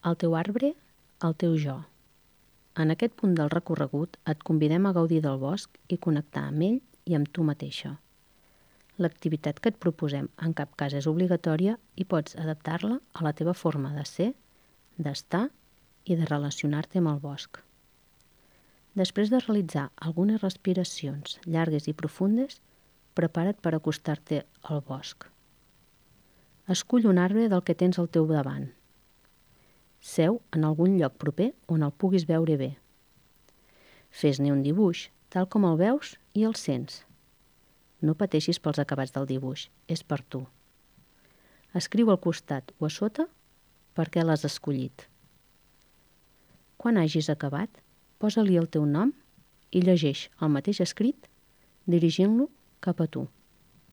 El teu arbre, el teu jo. En aquest punt del recorregut et convidem a gaudir del bosc i connectar amb ell i amb tu mateixa. L'activitat que et proposem en cap cas és obligatòria i pots adaptar-la a la teva forma de ser, d'estar i de relacionar-te amb el bosc. Després de realitzar algunes respiracions llargues i profundes, prepara't per acostar-te al bosc. Escull un arbre del que tens al teu davant. Seu en algun lloc proper on el puguis veure bé. Fes-ne un dibuix, tal com el veus i el sents. No pateixis pels acabats del dibuix, és per tu. Escriu al costat o a sota per què l'has escollit. Quan hagis acabat, posa-li el teu nom i llegeix el mateix escrit dirigint-lo cap a tu.